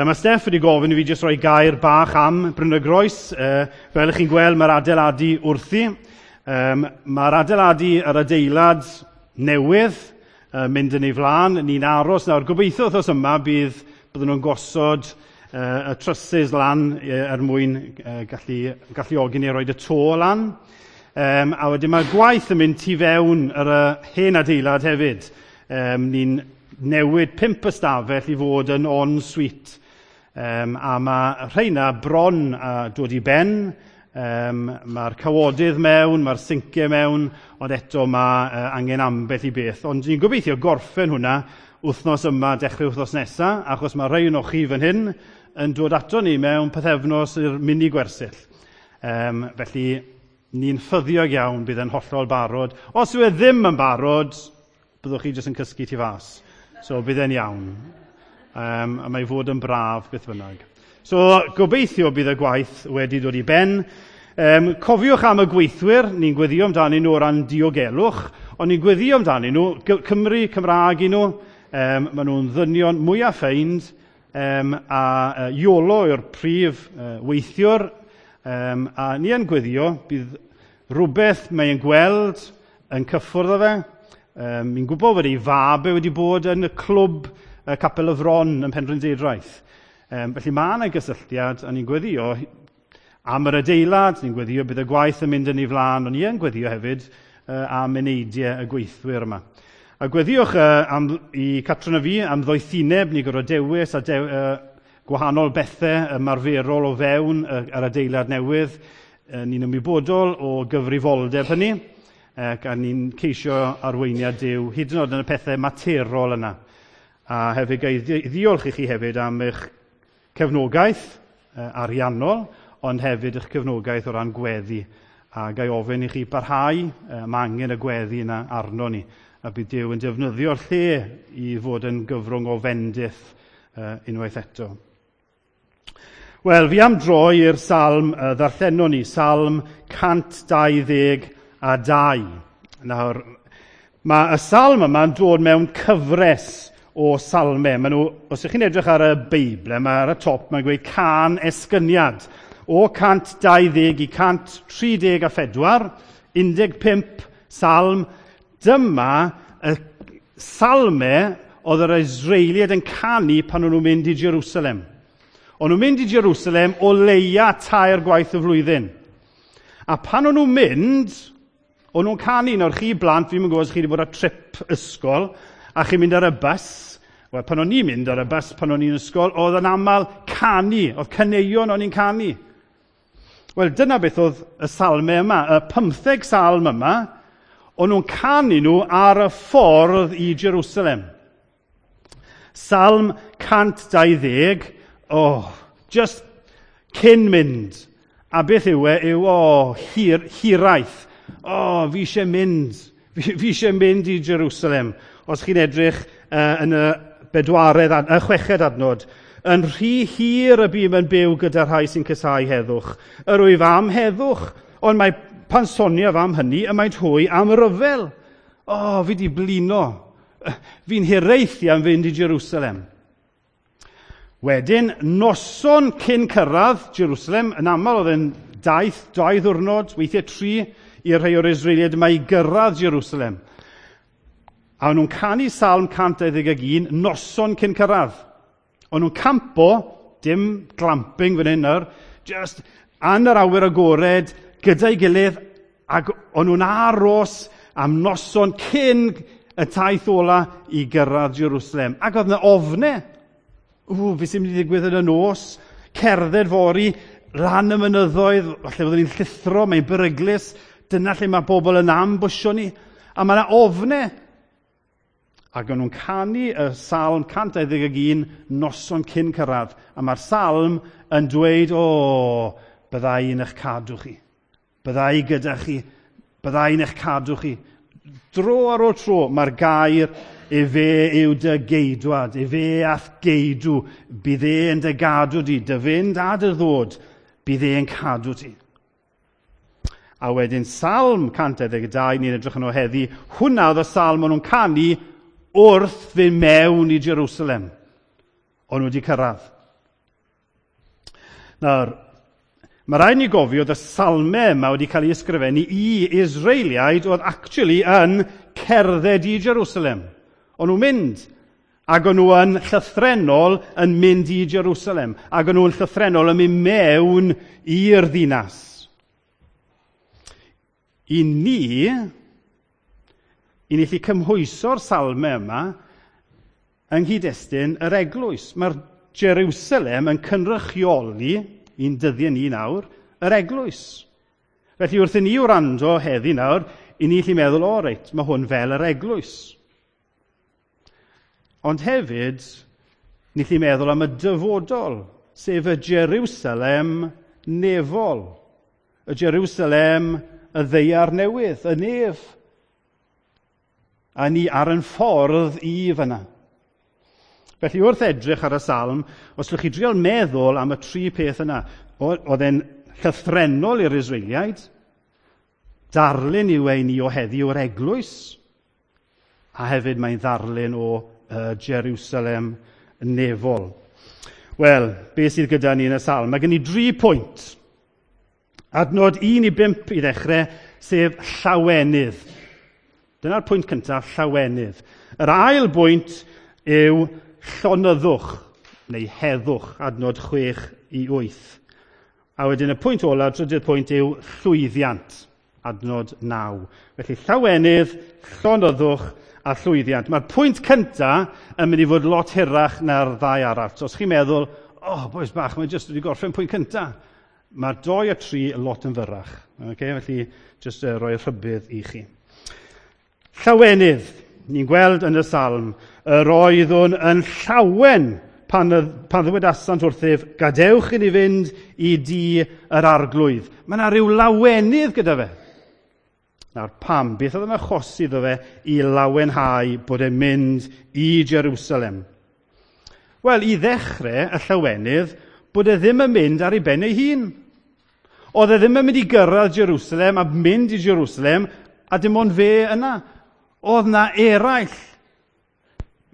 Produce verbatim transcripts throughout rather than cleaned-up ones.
Mae Steff wedi gofyn i fi jyst rhoi gair bach am Bryn y Groes. Fel ych chi'n gweld, mae'r adeiladu wrthi. Mae'r adeiladu, yr adeilad newydd, mynd yn ei flaen. Ni'n aros nawr. Gobeithio wythnos yma bydd, byddwn nhw'n gosod y trusses lan er mwyn gallu, galluogi ni roi y to lan. Um, a wedyn mae'r gwaith yn mynd tu fewn yr hen adeilad hefyd. Um, ni'n newid pump ystafell i fod yn en-suite. Um, a mae rheina bron a dod i ben. Um, mae'r cawodydd mewn, mae'r sinciau mewn, ond eto mae uh, angen ambell i beth. Ond ni'n gobeithio gorffen hwnna wythnos yma, dechrau wythnos nesaf, achos mae rhai o'n chi fan hyn yn dod ato ni mewn pythefnos i'r mini gwersyll. Um, felly, ni'n ffyddiog iawn bydd yn hollol barod. Os yw e ddim yn barod, byddwch chi jyst yn cysgu tu fas. So bydd e'n iawn. Um, a mae fod yn braf beth bynnag. So gobeithio bydd y gwaith wedi dod i ben. Um, cofiwch am y gweithwyr, ni'n gweddio amdanyn nhw o ran diogelwch, ond ni'n gweddio amdanyn nhw, Cymru, Cymraeg i nhw, um, maen nhw'n ddynion mwyaf ffeind, um, a uh, Iolo yw'r prif uh, weithiwr, um, a ni yn gweddio, bydd rhywbeth mae'n gweld yn cyffwrdd â fe. Um, ni'n gwybod bod ei fab e wedi bod yn y clwb uh, Capel y Fron yn Penrhyndeudraeth. Um, felly mae yna gysylltiad, a ni'n gweddio am yr adeilad, ni'n gweddio bydd y gwaith yn mynd yn ei flaen, ond ni yn gweddio hefyd uh, am eneidiau y gweithwyr yma. A gweddiwch uh, am, i Catrin a fi am ddoethineb, ni gorfod dewis a dew, uh, gwahanol bethau ymarferol o fewn uh, yr adeilad newydd. Uh, ni'n ymwybodol o gyfrifoldeb hynny, ac a ni'n ceisio arweiniad Duw, hyd yn oed yn y pethau materol yna. A hefyd gai ddiolch i chi hefyd am eich cefnogaeth ariannol, ond hefyd eich cefnogaeth o ran gweddi. A gai ofyn i chi barhau, mae angen y gweddi yna arno ni. A bydd Duw yn defnyddio'r lle i fod yn gyfrwng o fendith unwaith eto. Wel, fi am droi i'r salm ddarllenon ni, salm cant dau ddeg a dau. Nawr, mae y salm yma'n dod mewn cyfres o salmau. Maen nhw, os ydych chi'n edrych ar y Beibl, mae ar y top, mae'n gweud can esgyniad. O cant dau ddeg i cant tri deg a phedwar, un deg pump salm. Dyma y salmau oedd yr Israeliaid yn canu pan o'n nhw'n mynd i Jerusalem. O'n nhw'n mynd i Jerusalem o leia tair gwaith y flwyddyn. A pan o'n nhw'n mynd, o'n nhw'n canu. Nawr chi blant, fi'n gwybod os chi wedi bod ar trip ysgol, a chi'n mynd ar y bus. Wel, pan o'n i'n mynd ar y bus, pan o'n i'n ysgol, oedd yn aml canu, oedd caneuon o'n i'n canu. Wel, dyna beth oedd y salmau yma, y pymtheg salm yma, o'n nhw'n canu nhw ar y ffordd i Jerusalem. Salm cant dau ddeg, oh, just cyn mynd. A beth yw e, yw, oh, hir, hiraeth. Oh, fi eisiau mynd. Fi, fi eisiau mynd i Jerusalem. Os chi'n edrych uh, yn y bedwaredd, y chweched adnod, yn rhy hir y bûm yn byw gyda rhai sy'n casáu heddwch. Yr wyf am heddwch, ond mae pan soniaf am hynny, y maent hwy am ryfel. O, oh, fi di blino. Fi'n hiraethu am fynd i Jerusalem. Wedyn, noson cyn cyrraedd Jerusalem, yn aml oedd yn daith, dau ddiwrnod, weithiau tri, i'r rhai o'r Israeliaid yma i gyrraedd Jerusalem. A o'n nhw'n canu Salm cant dau ddeg ag un, noson cyn cyrraedd. O'n nhw'n campo, dim glamping fan hyn nawr, just yn yr awyr agored, gyda'i gilydd, ac o'n nhw'n aros am noson cyn y taith ola i gyrraedd Jerusalem. Ac oedd yna ofne. Ww, beth sy'n mynd i ddigwydd yn y nos? Cerdded fory, lan y mynyddoedd, falle byddwn ni'n llithro, mae'n beryglus, dyna lle mae bobl yn ambwsio ni. A mae yna ofne. Ac o'n nhw'n canu y salm cant dau ddeg ag un noson cyn cyrraedd. A mae'r salm yn dweud, o, bydda i'n eich cadw chi. Bydda i gyda chi. Bydda i'n eich cadw chi. Dro ar ôl tro, mae'r gair efe yw dy geidwad, efe a'th geidw, bydd e yn dy gadw di, dy fynd a dy ddod, bydd e yn cadw ti. A wedyn Salm cant dau ddeg dau, ni'n edrych yno heddi, hwnna oedd y salm o'n nhw'n canu wrth fynd mewn i Jerusalem. O'n nhw wedi cyrraedd. Nawr, mae rhaid ni gofio oedd y salmau yma wedi cael ei ysgrifennu i Israeliaid oedd actually yn cerdded i Jerusalem. O'n nhw'n mynd, ac o'n nhw yn llythrennol yn mynd i Jerusalem, ac o'n nhw'n llythrennol yn mynd mewn i'r ddinas. I ni, i ni allu cymhwyso'r salmau yma yng nghyd-destun yr eglwys. Mae'r Jerusalem yn cynrychioli, i'n dyddiau ni nawr, yr eglwys. Felly wrth i ni wrando heddi nawr, i ni allu meddwl, o reit, mae hwn fel yr eglwys. Ond hefyd, ni allu meddwl am y dyfodol, sef y Jerusalem nefol. Y Jerusalem y ddaear newydd, y nef. A ni ar yn ffordd i fyna. Felly wrth edrych ar y salm, os ydych chi drial meddwl am y tri peth yna, oedd e'n llythrennol i'r Israeliaid, darlun yw ei ni o heddiw o'r eglwys, a hefyd mae'n ddarlun o uh, Jerusalem nefol. Wel, beth sydd gyda ni yn y salm? Mae gen i dri pwynt. Adnod un i bump i ddechrau, sef llawenydd. Dyna'r pwynt cyntaf, llawenydd. Yr ail bwynt yw llonyddwch, neu heddwch, adnod chwech i wyth. A wedyn y pwynt olaf, trydydd pwynt yw llwyddiant, adnod naw. Felly llawenydd, llonyddwch a llwyddiant. Mae'r pwynt cyntaf yn mynd i fod lot hirach na'r ddau arall. So os chi'n meddwl, oh, bois bach, mae jyst wedi gorffen pwynt cyntaf. Mae'r doi a tri lot yn fyrrach. Okay? Felly, jyst uh, rhoi rhybudd i chi. Llawenydd. Ni'n gweld yn y salm, yr oeddwn yn llawen pan, pan ddywedasant wrthyf, gadewch i ni fynd i dŷ yr arglwydd. Mae yna rhyw lawenydd gyda fe. Nawr pam? Beth oedd yn achosi iddo fe i lawenhau bod e'n mynd i Jerusalem? Wel, i ddechrau y llawenydd, bod e ddim yn mynd ar ei ben ei hun. Oedd e ddim yn mynd i gyrraedd Jerusalem a mynd i Jerusalem a dim ond fe yna. Oedd na eraill.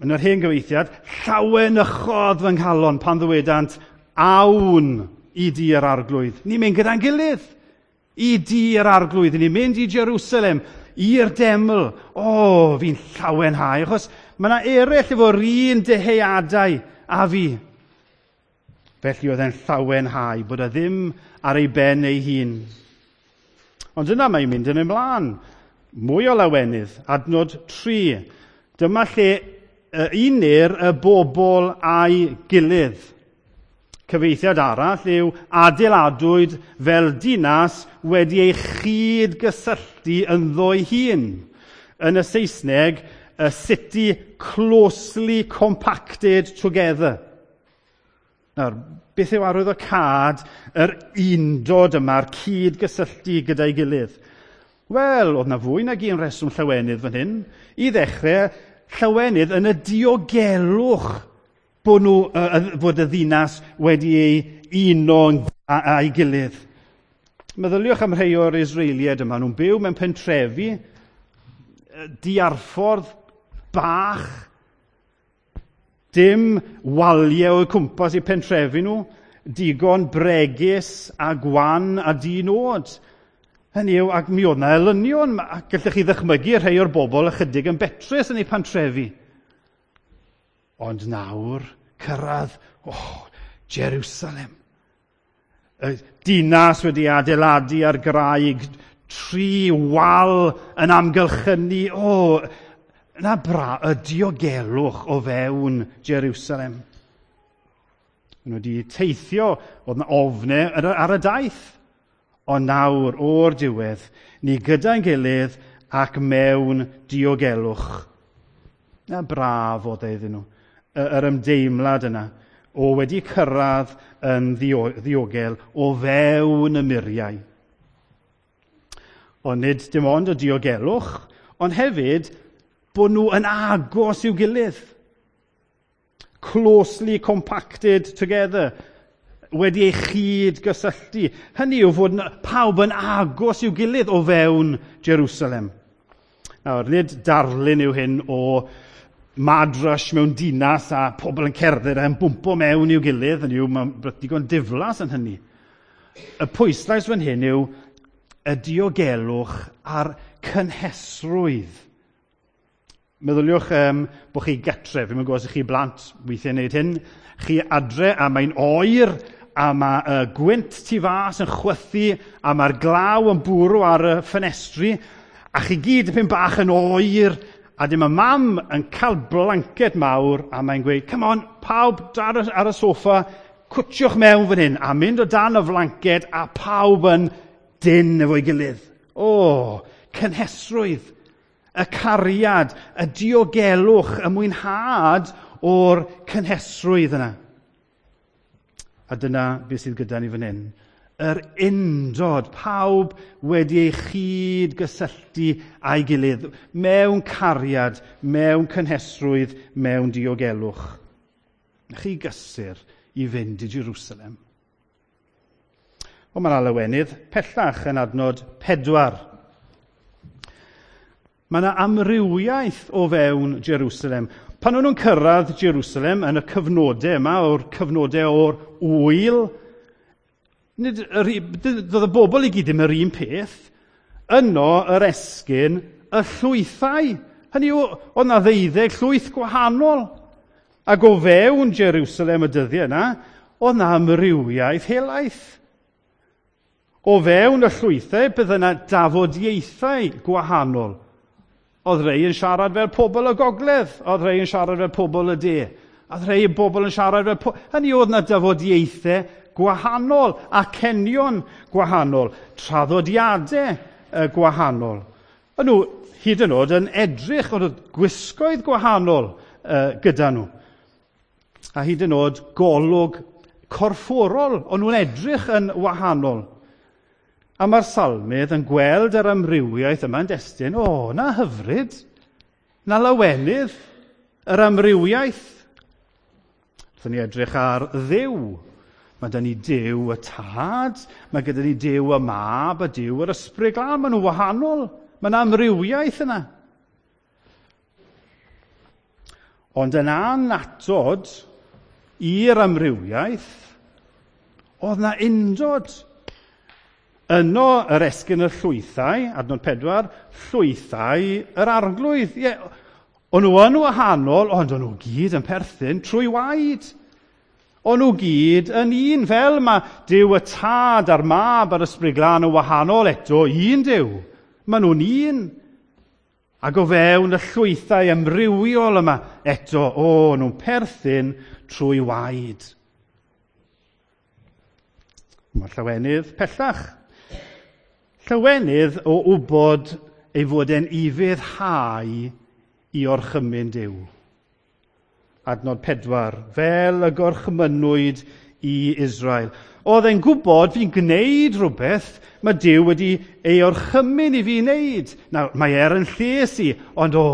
Yn yr hen gyfeithiad, llawenychodd fy nghalon pan ddywedant, awn i dŷ yr arglwydd. Ni'n mynd gyda'n gilydd i dŷ yr arglwydd. Ni'n mynd i Jerusalem, i'r deml. O, fi'n llawenhau, achos mae yna eraill efo'r un dyheadau a fi. Felly oedd e'n llawenhau, bod e ddim ar ei ben ei hun. Ond yna mae'n mynd yn ymlaen. Mwy o lawenydd, adnod tri. Dyma lle unir y bobl a'i gilydd. Cyfeithiad arall yw adeiladwyd fel dinas wedi ei chyd-gysylltu ynddo'i hun. Yn y Saesneg, a city closely compacted together. Nawr, beth yw arwyddocâd yr undod yma'r cyd-gysylltu gyda'i gilydd? Wel, oedd na fwy nag un reswm llawenydd fan hyn. I ddechrau, llawenydd yn y diogelwch bod, nhw, uh, bod y ddinas wedi ei uno a'i gilydd. Meddyliwch am rhai o'r Israeliaid yma. Nhw'n byw mewn pentrefi, diarffordd bach, dim waliau o'u cwmpas i pentrefi nhw, digon bregus a gwan a di-nod. Hynny yw, ac mi oedd na elynion, ac gallech chi ddychmygu rhai o'r bobl ychydig yn betrus yn eu pantrefi. Ond nawr, cyrraedd, oh, Jerusalem. Y dinas wedi adeiladu ar graig, tri wal yn amgylchynu, o, oh, na bra, y diogelwch o fewn Jerusalem. Nhw wedi teithio, oedd na ofnau ar y daith. Ond nawr, o'r diwedd, ni gyda'n gilydd ac mewn diogelwch. Na braf oedd e iddyn nhw, yr ymdeimlad yna, o wedi cyrraedd yn ddiogel o fewn y muriau. Ond nid dim ond y diogelwch, ond hefyd bod nhw yn agos i'w gilydd. Closely compacted together. Wedi ei chyd gysylltu. Hynny yw fod pawb yn agos i'w gilydd o fewn Jerusalem. Nawr, nid darlun yw hyn o mad rush mewn dinas a pobl yn cerdded a'n bwmpo mewn i'w gilydd, yn yw, mae'n digon diflas yn hynny. Y pwyslais fan hyn yw y diogelwch a'r cynhesrwydd. Meddyliwch um, bod chi getre, fi'n gwybod os chi blant weithiau wneud hyn, chi adre a mae'n oer a mae y gwynt tu fas yn chwythu a mae'r glaw yn bwrw ar y ffenestri a chi gyd dipyn bach yn oer a dim y mam yn cael blanced mawr a mae'n gweud, come on, pawb ar y, ar y soffa, cwtsiwch mewn fan hyn a mynd o dan y flanced a pawb yn dyn efo'i gilydd. O, cynhesrwydd, y cariad, y diogelwch, y mwynhad o'r cynhesrwydd yna. A dyna beth sydd gyda ni fan hyn. Yr undod, pawb wedi ei chyd gysylltu â'i gilydd, mewn cariad, mewn cynhesrwydd, mewn diogelwch. Chi gysur i fynd i Jerusalem. Ond mae'n lawenydd pellach yn adnod pedwar. Mae yna amrywiaeth o fewn Jerusalem. Pan o'n nhw'n cyrraedd Jerusalem yn y cyfnodau yma, o'r cyfnodau o'r wyl, nid yr, doedd y bobl i gyd ddim yr un peth, yno yr esgyn y llwythau. Hynny yw, oedd yna ddeuddeg llwyth gwahanol. Ac o fewn Jerusalem y dyddiau yna, oedd yna amrywiaeth helaeth. O fewn y llwythau, bydd yna dafodieithau gwahanol. Oedd rhai yn siarad fel pobl y gogledd, oedd rhai yn siarad fel pobl y de, oedd rhai bobl yn siarad fel... Po... Hynny oedd yna dafodieithau gwahanol, acenion gwahanol, traddodiadau gwahanol. O'n nhw hyd yn oed yn edrych, oedd gwisgoedd gwahanol uh, gyda nhw. A hyd yn oed golwg corfforol, o'n nhw'n edrych yn wahanol. A mae'r salmydd yn gweld yr amrywiaeth yma yn destun, o, na hyfryd, na lawenydd, yr amrywiaeth. Wrthon ni edrych ar Dduw. Mae gyda ni Duw y Tad, mae gyda ni Duw y Mab a Duw yr Ysbryd Glân. Maen nhw'n wahanol, mae yna amrywiaeth yna. Ond yn annatod i'r amrywiaeth, oedd yna undod. Yno yr esgyn y llwythau, adnod pedwar, llwythau yr arglwydd. Ie, o'n nhw yn wahanol, ond o'n nhw gyd yn perthyn trwy waed. O'n nhw gyd yn un, fel mae Duw y Tad a'r Mab a'r Ysbryd Glân yn wahanol eto, un Duw. Maen nhw'n un. Ac o fewn y llwythau amrywiol yma eto, o, nhw'n perthyn trwy waed. Mae'r llawenydd pellach. Llawenydd o wybod ei fod e'n ufuddhau i orchymyn Duw. Adnod pedwar, fel y gorchmynnwyd i Israel. Oedd e'n gwybod fi'n gwneud rhywbeth mae Duw wedi ei orchymyn i fi wneud. Nawr, mae er yn lles i, ond o,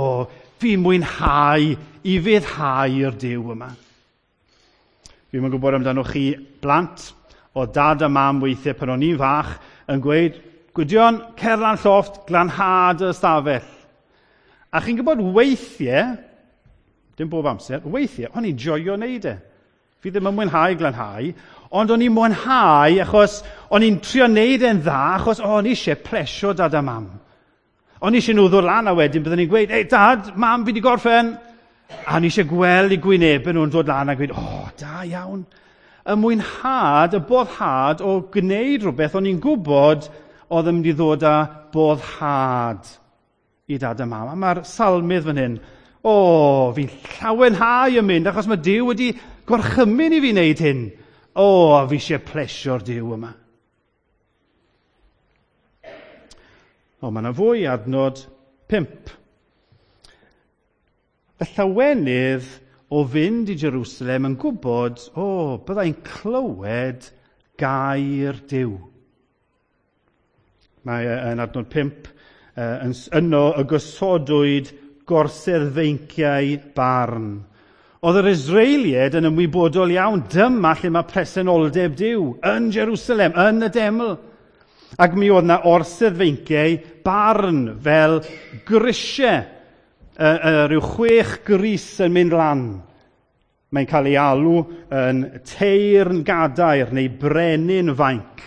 fi'n mwynhau i ufuddhau i'r Duw yma. Fi'n gwybod amdano chi blant, o dad a mam weithiau pan o'n i'n fach yn gweud, Gwydion, cer lan llofft, glanhad y ystafell. A chi'n gwybod weithiau, dim bob amser, weithiau, o'n i'n joio wneud e. Fi ddim yn mwynhau glanhau, ond o'n i'n mwynhau achos o'n i'n trio wneud e'n dda, achos o'n i eisiau plesio dad a mam. O'n i eisiau nhw ddod lan a wedyn byddwn i'n gweud, ei dad, mam, fi wedi gorffen. A o'n i eisiau gweld eu gwynebau nhw'n dod lan a gweud, o, oh, da iawn. Y mwynhad, y boddhad o gwneud rhywbeth o'n i'n gwybod oedd yn mynd i ddod â boddhad i dad a mam. A mae'r salmydd fan hyn, o, fi'n llawenhau yn mynd, achos mae Duw wedi gorchymyn i fi wneud hyn. O, a fi eisiau plesio'r Duw yma. O, mae yna fwy, adnod pump. Y llawenydd o fynd i Jerusalem yn gwybod, o, byddai'n clywed gair Duw. Mae yn adnod pump, yno y gosodwyd gorsedd feinciau barn. Oedd yr Israeliaid yn ymwybodol iawn, dyma lle mae presenoldeb Duw, yn Jerusalem, yn y deml. Ac mi oedd yna orsedd feinciau barn fel grisiau uh, uh, rhyw chwech gris yn mynd lan. Mae'n cael ei alw yn teyrn gadair neu brenin fainc.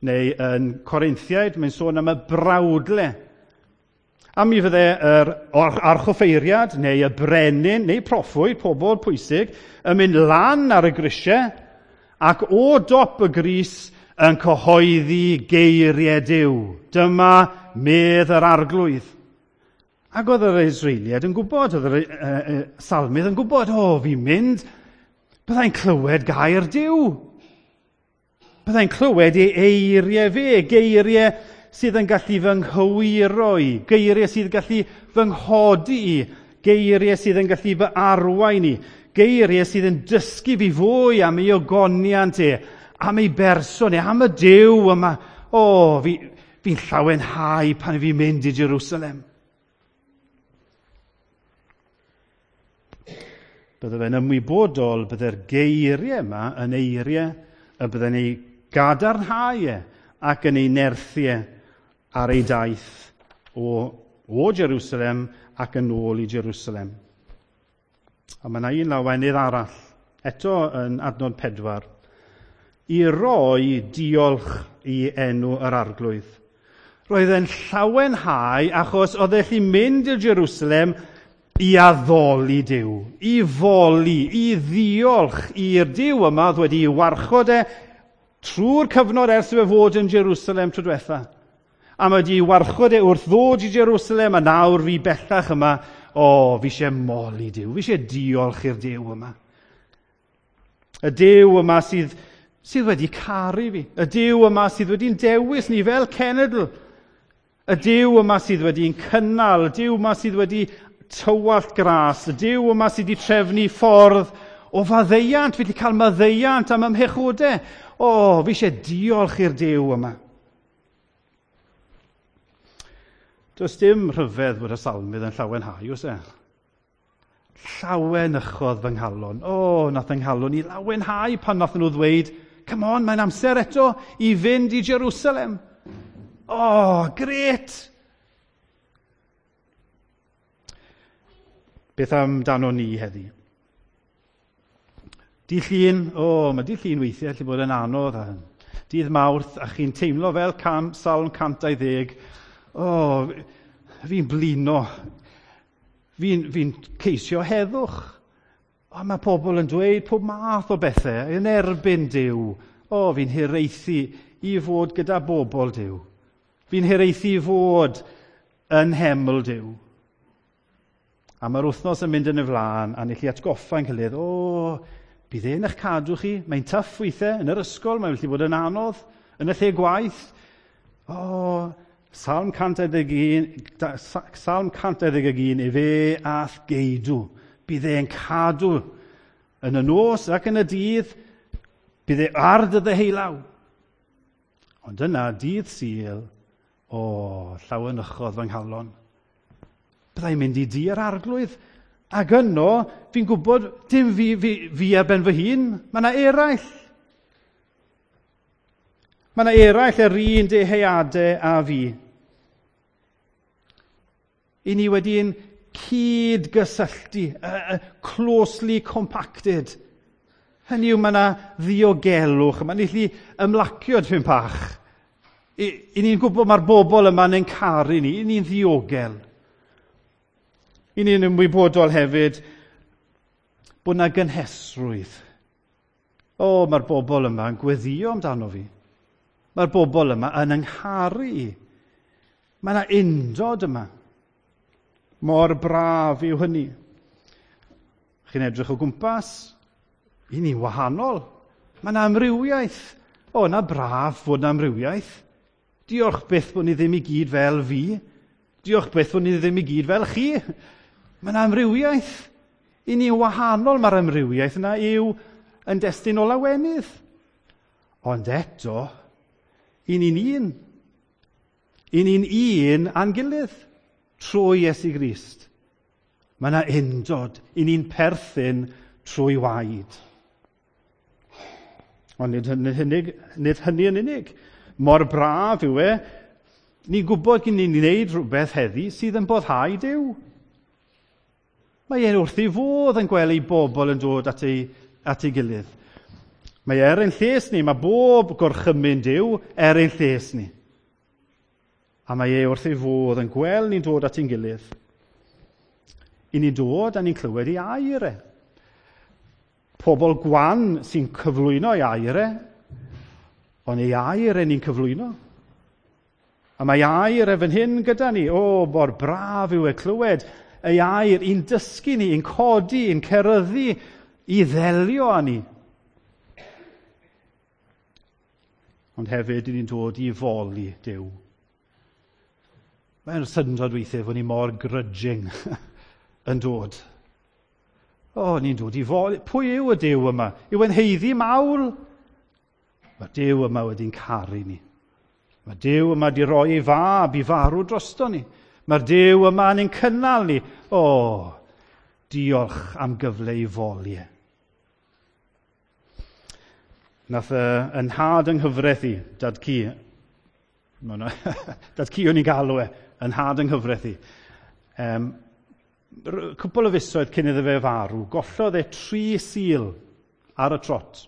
Neu yn Corinthiaid, mae'n sôn am y brawdle. A mi fydde yr archoffeiriad neu y brenin neu proffwyd, pobl pwysig, yn mynd lan ar y grisiau ac o dop y gris yn cyhoeddi geiriau Duw. Dyma medd yr arglwydd. Ac oedd yr Israeliaid yn gwybod, oedd yr uh, salmydd yn gwybod, o, oh, fi'n mynd, byddai'n clywed gair Duw. Byddai'n clywed ei eiriau fe, geiriau sydd yn gallu fy nghywiro i, geiriau sydd yn gallu fy nghodi i, geiriau sydd yn gallu fy arwain i, geiriau sydd yn dysgu fi fwy am ei ogoniant e, am ei berson e, am y Duw yma. O, oh, fi, fi'n llawenhau pan fi'n mynd i Jerusalem. Bydde fe'n ymwybodol bydde'r geiriau yma yn eiriau y bydde'n ei gadarnhau e ac yn ei nerthu e ar ei daith o, o Jerusalem ac yn ôl i Jerusalem. A mae yna un lawenydd arall, eto yn adnod pedwar, i roi diolch i enw yr arglwydd. Roedd e'n llawenhau achos oedd e'n gallu mynd i Jerusalem i addoli Duw, i foli, i ddiolch i'r Duw yma oedd wedi warchod e trwy'r cyfnod ers iddo fe fod yn Jerusalem tro diwetha. A mae wedi warchod e wrth ddod i Jerusalem, a nawr fi bellach yma, o, fi eisiau moli Duw, fi eisiau diolch i'r Duw yma. Y Duw yma sydd, sydd wedi caru fi, y Duw yma sydd wedi'n dewis ni fel cenedl, y Duw yma sydd wedi'n cynnal, y Duw yma sydd wedi tywallt gras, y Duw yma sydd wedi trefnu ffordd o faddeuant, fi wedi cael maddeuant am ymhechodau. O, fi eisiau diolch i'r Duw yma. Does dim rhyfedd bod y salmydd yn llawenhau, oes e? Llawenychodd fy nghalon. O, nath yng nghalon i lawenhau pan nath nhw ddweud, come on, mae'n amser eto i fynd i Jerusalem. O, gret! Beth amdano ni heddi? Dydd Llun, o, oh, mae dydd Llun weithiau allu bod yn anodd. A dydd Mawrth, a chi'n teimlo fel cam, Salm cant dau ddeg. O, oh, fi'n blino. Fi'n fi ceisio heddwch. O, mae pobl yn dweud pob math o bethau yn erbyn Duw. O, oh, fi'n hiraethu i fod gyda bobl Duw. Fi'n hiraethu i fod yn heml Duw. A mae'r wythnos yn mynd yn y flaen, a ni chi atgoffa yn gilydd, o, bydd e'n eich cadw chi, mae'n tough weithiau, yn yr ysgol, mae'n gallu bod yn anodd, yn y lle gwaith. O, Salm cant dau ddeg un, Salm cant dau ddeg un, efe a'th geidw. Bydd e'n cadw yn y nos ac yn y dydd, bydd e ar dy ddeheulaw. Ond yna, dydd Sul, o, llawenychodd fy nghalon. Byddai'n mynd i dŷ yr arglwydd. Ac yno, fi'n gwybod, dim fi, fi, fi ar ben fy hun, mae yna eraill. Mae yna eraill yr un deheuadau a fi. I ni wedi'n cyd-gysylltu, uh, closely compacted. Hynny yw, mae yna ddiogelwch, mae'n gallu ymlacio tipyn bach. I, i ni'n gwybod mae'r bobl yma'n ein caru ni, i ni'n ddiogel. I ni'n ymwybodol hefyd bod yna gynhesrwydd. O, mae'r bobl yma yn gweddio amdano fi. Mae'r bobl yma yn yngharu i. Mae yna undod yma. Mor braf yw hynny. Chi'n edrych o gwmpas, i ni'n wahanol. Mae yna amrywiaeth. O, yna braf fod yna amrywiaeth. Diolch byth bod ni ddim i gyd fel fi. Diolch byth bod ni ddim i gyd fel chi. Mae yna amrywiaeth. I ni wahanol, mae'r amrywiaeth yna yw yn destun o lawenydd. Ond eto, i ni'n un. I ni'n un a'n gilydd trwy Iesu Grist. Mae yna undod. I ni'n perthyn trwy waed. Ond nid hynny, nid hynny yn unig. Mor braf yw e, ni'n gwybod gyn ni'n gwneud rhywbeth heddi sydd yn boddhau Duw. Mae e'n wrth ei fodd yn gweld ei bobl yn dod at ei, at ei gilydd. Mae er ein lles ni, mae bob gorchymyn Duw er ein lles ni. A mae e wrth ei fodd yn gweld ni'n dod at ein gilydd. I ni'n dod a ni'n clywed ei air e. Pobl gwan sy'n cyflwyno ei air e, ond ei air e ni'n cyflwyno. A mae air e fan hyn gyda ni. O, mor braf yw e clywed ei air i'n dysgu ni, i'n codi, i'n ceryddu, i ddelio â ni. Ond hefyd, ni'n dod i foli Duw. Mae'n syndod weithiau fod ni mor grudging yn dod. O, ni'n dod i foli. Pwy yw y Duw yma? Yw e'n haeddu mawl? Mae Duw yma wedi'n caru ni. Mae Duw yma wedi rhoi ei fab i farw drosto ni. Mae'r Duw yma yn ein cynnal ni. O, diolch am gyfle i foli e. Nath uh, yn nhad yng nghyfraith i, dad-cu, dad-cu o'n i'n galw e, yn nhad yng nghyfraith i. Um, cwpl o fisoedd cyn iddo fe farw, gollodd e tri Sul ar y trot.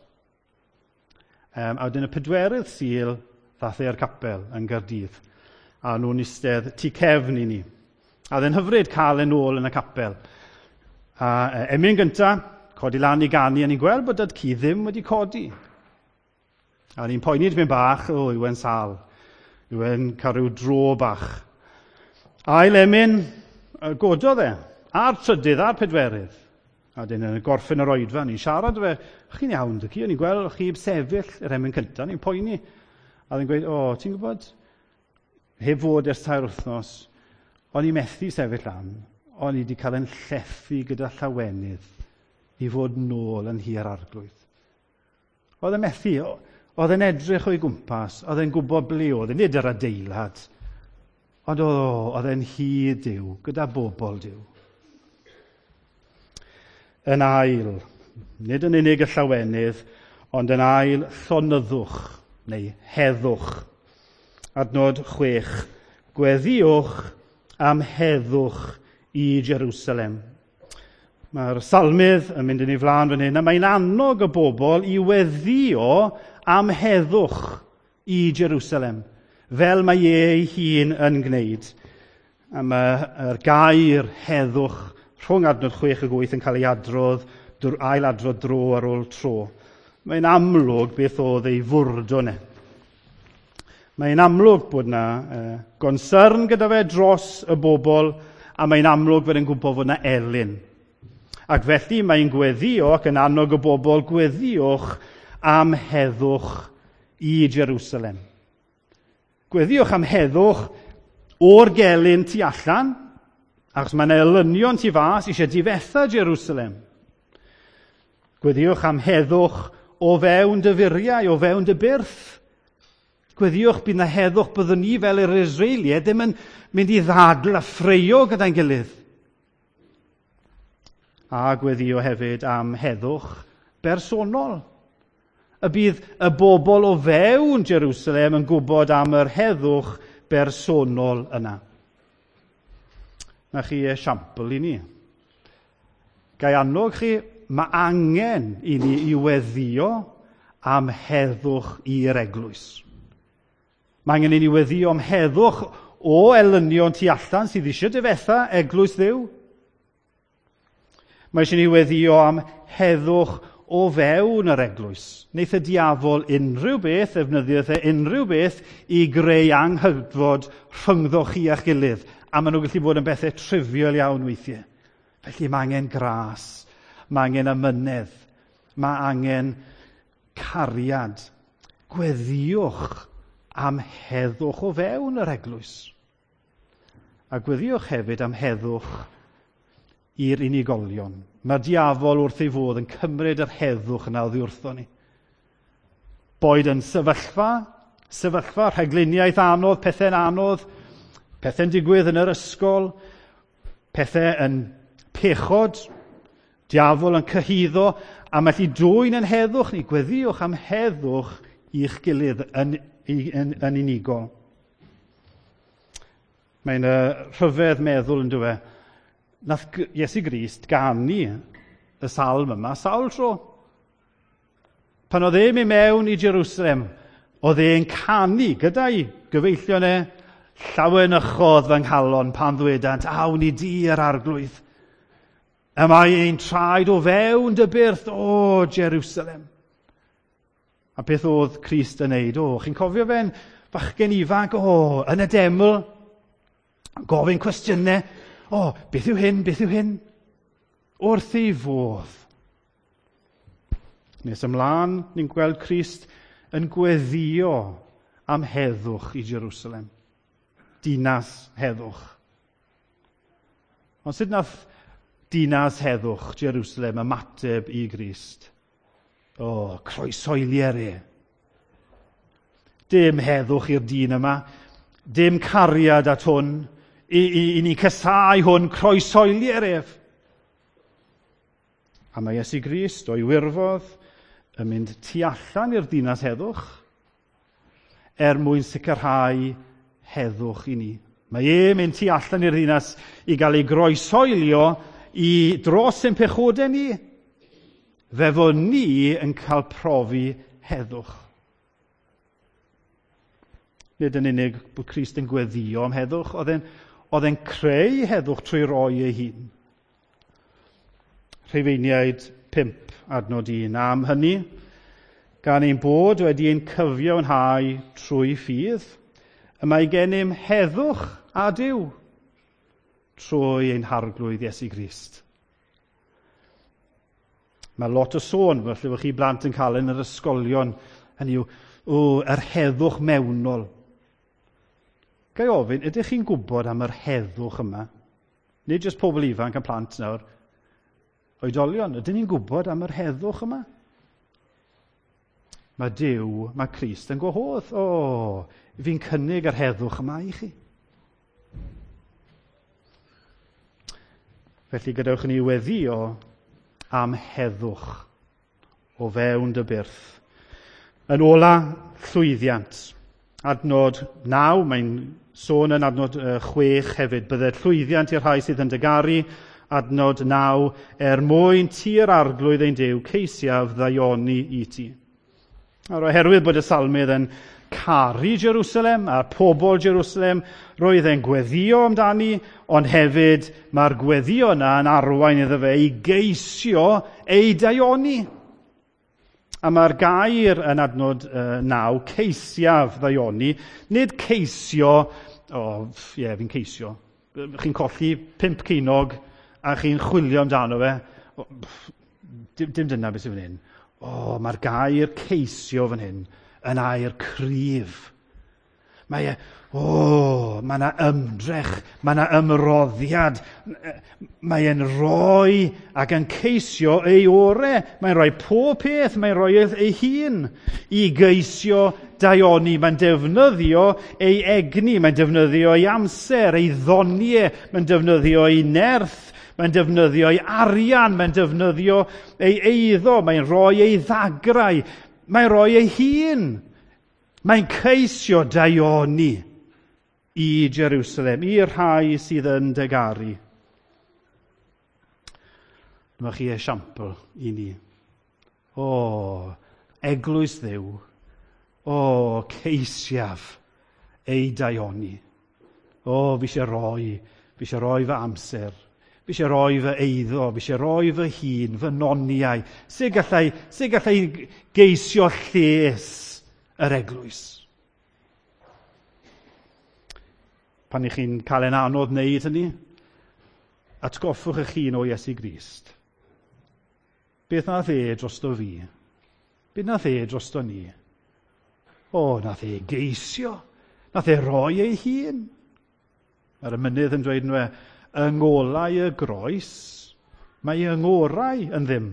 Um, a wedyn y pedwerydd Sul, ddath e i'r capel yn Gaerdydd. A nhw'n eistedd tu cefn i ni. A oedd e'n hyfryd cael e'n ôl yn y capel. A e, emyn gynta, codi lan i ganu, a ni'n gweld bod dad-cu ddim wedi codi. A ni'n poeni tipyn bach, o, yw e'n sâl. Yw e'n cael rhyw dro bach. Ail emyn, gododd e, a'r trydydd, a'r pedwerydd. A wedyn yn gorffen yr oedfa, ni'n siarad fe, chi'n iawn, dad-cu, o'n i'n gweld chi sefyll yr emyn cyntaf, ni'n poeni. A oedd e'n gweud, o, ti'n gwybod, heb fod ers tair wythnos, o'n i methu sefyll lan, o'n i wedi cael yn llethu gyda llawenydd i fod nôl yn nhŷ'r Arglwydd. Oedd e'n methu, oedd e'n edrych o'i gwmpas, oedd e'n gwybod ble oedd e, nid yr adeilad, ond oedd, oedd e'n nhŷ Duw, gyda bobl Duw. Yn ail, nid yn unig y llawenydd, ond yn ail llonyddwch, neu heddwch. Adnod chwech, gweddïwch am heddwch i Jerusalem. Mae'r salmydd yn mynd yn ei flaen fan hyn, a mae'n annog y bobl i weddïo am heddwch i Jerusalem, fel mae e ei hun yn gwneud. A mae'r gair heddwch rhwng adnod chwech ag wyth yn cael ei adrodd, ail adrodd dro ar ôl tro. Mae'n amlwg beth oedd ei fwrdwn e. Mae'n amlwg bod yna uh, gonsyrn gyda fe dros y bobl, a mae'n amlwg fod e'n gwybod fod yna elyn. Ac felly mae'n gweddïo ac yn annog y bobl, gweddïwch am heddwch i Jerusalem. Gweddïwch am heddwch o'r gelyn tu allan, achos mae'n elynion tu fas eisiau difetha Jerusalem. Gweddïwch am heddwch o fewn dy furiau, o fewn dy byrth. Gweddïwch bydd na heddwch, byddwn ni fel yr Israeliaid ddim yn mynd i ddadl a ffreio gyda'n gilydd. A gweddïo hefyd am heddwch bersonol. Y bydd y bobl o fewn Jerusalem yn gwybod am yr heddwch bersonol yna. Na chi esiampl i ni. Gai annog chi, mae angen i ni i weddïo am heddwch i'r eglwys. Mae angen i ni weddïo am heddwch o elynion tu allan sydd eisiau difetha eglwys Dduw. Mae eisiau ni weddïo am heddwch o fewn yr eglwys. Neith y diafol unrhyw beth, ddefnyddio e unrhyw beth i greu anghydfod rhyngddo chi a'ch gilydd. A maen nhw'n gallu bod yn bethau trivial iawn weithiau. Felly mae angen gras, mae angen amynedd, mae angen cariad. Gweddïwch am heddwch o fewn yr eglwys. A gweddïwch hefyd am heddwch i'r unigolion. Mae'r diafol wrth ei fodd yn cymryd yr heddwch yna oddi wrtho ni. Boed yn sefyllfa, sefyllfa, rhagluniaeth anodd, pethau'n anodd, pethau'n digwydd yn yr ysgol, pethau yn pechod, diafol yn cyhuddo, a mae allu dwyn yn heddwch ni. Gweddïwch am heddwch i'ch gilydd yn, yn, yn unigol. Mae'n uh, rhyfedd meddwl yn dweud, Nath Iesu Grist ganu y salm yma sawl tro. Pan oedd e'n mynd mewn i Jerusalem, oedd e'n canu gyda'i gyfeillion e, llawenychodd fy nghalon pan ddwedant, awn i di yr arglwydd. Y mae ein traed o fewn dy byrth, o Jerusalem. A beth oedd Crist yn neud? O, chi'n cofio fe'n fachgen ifanc? O, yn y deml, gofyn cwestiynau. O, beth yw hyn, beth yw hyn? Wrth ei fodd. Nes ymlaen, ni'n gweld Crist yn gweddio am heddwch i Jerusalem. Dinas heddwch. Ond sut nath dinas heddwch Jerusalem ymateb i Grist? O, croesoelier e. Dim heddwch i'r dyn yma, dim cariad at hwn, i, i, i ni casau hwn, croesoelier ef. A mae Iesu Grist o'i wirfodd yn mynd tu allan i'r dinas heddwch er mwyn sicrhau heddwch i ni. Mae e'n mynd tu allan i'r ddinas i gael ei groesoelio i dros ein pechodau ni. Fe fod ni yn cael profi heddwch. Nid yn unig bod Crist yn gweddio am heddwch, oedd e'n, oedd e'n creu heddwch trwy roi ei hun. Rhufeiniaid pump adnod un. Am hynny, gan ein bod wedi ein cyfiawnhau trwy ffydd, y mae gennym heddwch a Duw trwy ein harglwydd Iesu Grist. Mae lot o sôn, felly fod chi blant yn cael yn yr ysgolion, hynny yw, o, yr heddwch mewnol. Ga i ofyn, ydych chi'n gwybod am yr heddwch yma? Nid jyst pobl ifanc a plant nawr. Oedolion, ydyn ni'n gwybod am yr heddwch yma? Mae Duw, mae Crist yn gwahodd. O, fi'n cynnig yr heddwch yma i chi. Felly gadewch ni weddio am heddwch o fewn dy byrth. Yn ola, llwyddiant. Adnod naw, mae'n sôn yn adnod chwech hefyd. Bydde llwyddiant i'r rhai sydd yn dygaru. Adnod naw, er mwyn ti'r arglwydd ein Duw, ceisiaf ddaioni i ti. Nawr, oherwydd bod y salmydd yn caru Jerusalem a pobl Jerusalem, roedd e'n gweddio amdani, ond hefyd mae'r gweddio yna yn arwain iddo fe i geisio ei daioni. A mae'r gair yn adnod uh, naw, ceisiaf ddaioni, nid ceisio, o, oh, ie, yeah, fi'n ceisio. Chi'n colli pump ceinog a chi'n chwilio amdano fe. Oh, dim, dim dyna beth sydd fan hyn. O, oh, mae'r gair ceisio fan hyn yn air cryf. Mae e, o, oh, mae yna ymdrech, mae yna ymroddiad. Mae e'n rhoi ac yn ceisio ei ore. Mae'n rhoi pob peth, mae'n rhoi ei hun i geisio daioni. Mae'n defnyddio ei egni, mae'n defnyddio ei amser, ei ddoniau, mae'n defnyddio ei nerth. Mae'n defnyddio ei arian, mae'n defnyddio ei eiddo, mae'n rhoi ei ddagrau, mae'n rhoi ei hun. Mae'n ceisio daioni i Jerusalem, i'r rhai sydd yn dygaru. Dyma chi esiampl i ni. O, eglwys Dduw, o, ceisiaf ei daioni. O, fi eisiau rhoi, fi eisiau rhoi fy amser. Fi eisiau rhoi fy eiddo, fi eisiau rhoi fy hun, fy noniau. Sut gallai, sut gallai geisio lles yr eglwys? Pan i chi'n cael e'n anodd wneud hynny, atgoffwch eich hun o Iesu Grist. Beth nath e drosto fi? Beth nath e drosto ni? O, nath e geisio. Nath e roi ei hun. Mae'r emynydd yn dweud nhw e, yng ngolau y groes, mae yng ngorau yn ddim.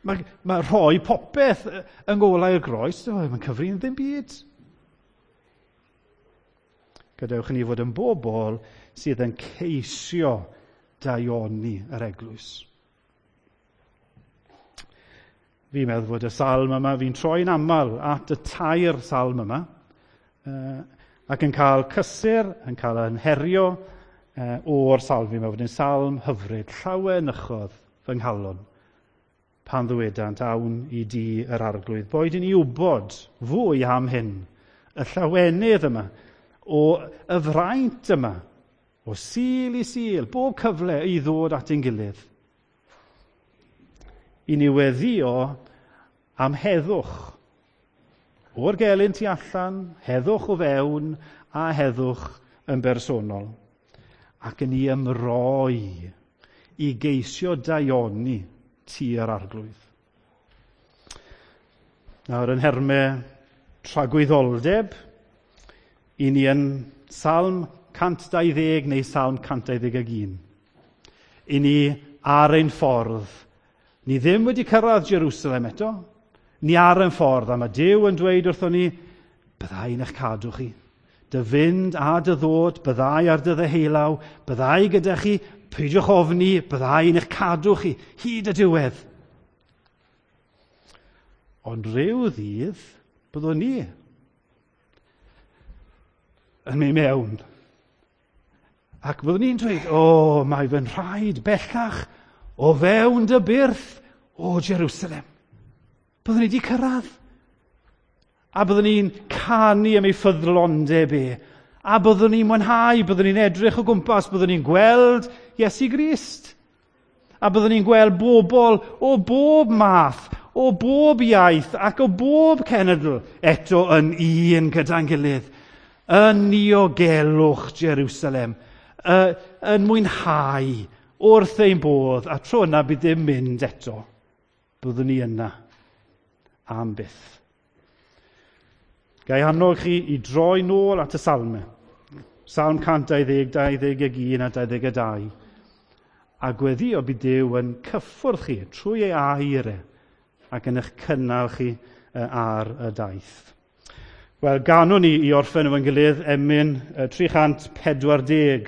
Mae, mae rhoi popeth yng ngolau y groes, mae'n cyfri'n ddim byd. Gadewch i ni fod yn bobl sydd yn ceisio daioni yr eglwys. Fi'n meddwl fod y salm yma, fi'n troi'n aml at y tair salm yma, uh, ac yn cael cysur, yn cael yn herio, o'r salmi yma, fod yn salm hyfryd, llawenychodd fy nghalon pan ddywedant awn i di yr arglwydd. Boed i ni wybod fwy am hyn, y llawenydd yma, o y fraint yma, o Sul i Sul, bob cyfle i ddod at ein gilydd. I ni weddio am heddwch, o'r gelyn tu allan, heddwch o fewn a heddwch yn bersonol. Ac yn i ymroi i geisio daioni tu'r arglwydd. Nawr yn nhermau tragwyddoldeb, i ni yn Salm cant dau ddeg neu Salm cant dau ddeg ag un. I ni ar ein ffordd. Ni ddim wedi cyrraedd Jerusalem eto. Ni ar ein ffordd, a mae Duw yn dweud wrthon ni, byddai yn eich cadw chi. Dy fynd a dy ddod, byddai ar dy ddeheulaw, byddai gyda chi, peidiwch ofni, byddai yn eich cadw chi, hyd y diwedd. Ond rhyw ddydd, byddwn ni yn mynd mewn. Ac byddwn ni'n dweud, o, mae fy nhraed bellach o fewn dy byrth o Jerusalem. Byddwn ni wedi cyrraedd. A byddwn ni'n canu am ei ffyddlondeb e. A byddwn ni'n mwynhau, byddwn ni'n edrych o gwmpas, byddwn ni'n gweld Iesu Grist. A byddwn ni'n gweld bobl o bob math, o bob iaith ac o bob cenedl eto yn un gyda'n gilydd. Yn niogelwch Jerusalem, yn mwynhau wrth ein bodd, a tro yna bydd ddim mynd eto. Byddwn ni yna am byth. Ga i annog chi i droi nôl at y salmau. Salm cant dau ddeg, dau ddeg ag un a dau ddeg a dau. A gweddio bydd Duw yn cyffwrdd chi trwy ei air e ac yn eich cynnal chi ar y daith. Wel, ganwn ni i orffen efo'n gilydd emyn tri chant pedwar deg.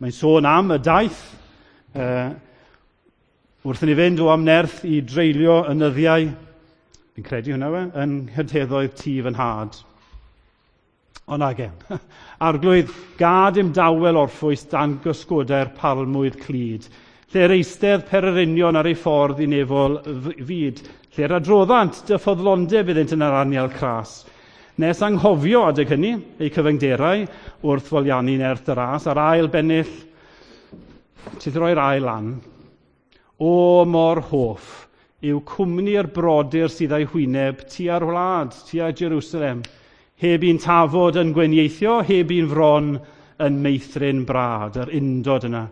Mae'n sôn am y daith. Uh, wrth i ni fynd o amnerth i dreulio y nyddiau, fi'n credu hwnna we, yn nghydheddoedd tŷ fy nhad. Ond nage, arglwydd, gad im dawel orffwys dan gysgodau'r palmwydd clyd, lle'r eistedd pererinion ar ei ffordd i nefol fyd, lle'r adroddant dy ffyddlondeb iddynt yn yr anial cras. Nes anghofio adeg hynny, eu cyfyngderau, wrth foliannu nerth y ras, a'r ail bennill, ti'n roi'r ail lan, o mor hoff yw cwmni'r brodyr sydd â'i hwyneb tua'r wlad, tua Jerusalem, heb un tafod yn gwenieithio, heb un fron yn meithrin brad, yr undod yna.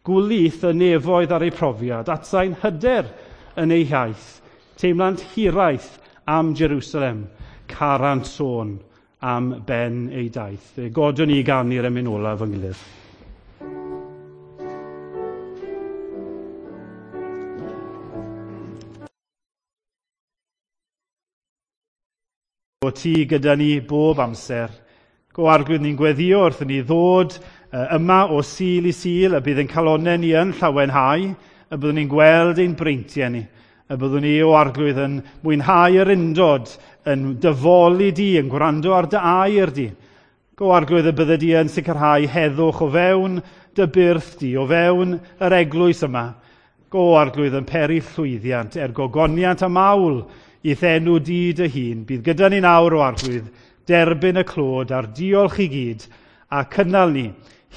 Gwlith y nefoedd ar ei profiad, atsain hyder yn ei hiaith, teimlant hiraeth am Jerusalem, carant sôn am ben ei daith. Fe godwn ni ganu'r emyn olaf yng gilydd. O ti gyda ni bob amser. Go arglwydd ni'n gweddio wrth i ni ddod yma o Sul i Sul, y bydd ein calonnau ni yn llawenhau, y byddwn ni'n gweld ein breintiau ni, y byddwn ni o arglwydd yn mwynhau yr undod, yn dyfoli di, yn gwrando ar dy air di. Go arglwydd y bydde di yn sicrhau heddwch o fewn dy byrth di, o fewn yr eglwys yma. Go arglwydd yn peri llwyddiant, er gogoniant a mawl, i'th enw di dy hun. Bydd gyda ni nawr o arglwydd, derbyn y clod a'r diolch i gyd, a cynnal ni,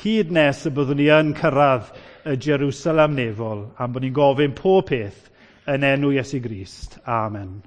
hyd nes y byddwn ni yn cyrraedd y Jerusalem nefol, am bod ni'n gofyn pob peth yn enw Iesu Grist. Amen.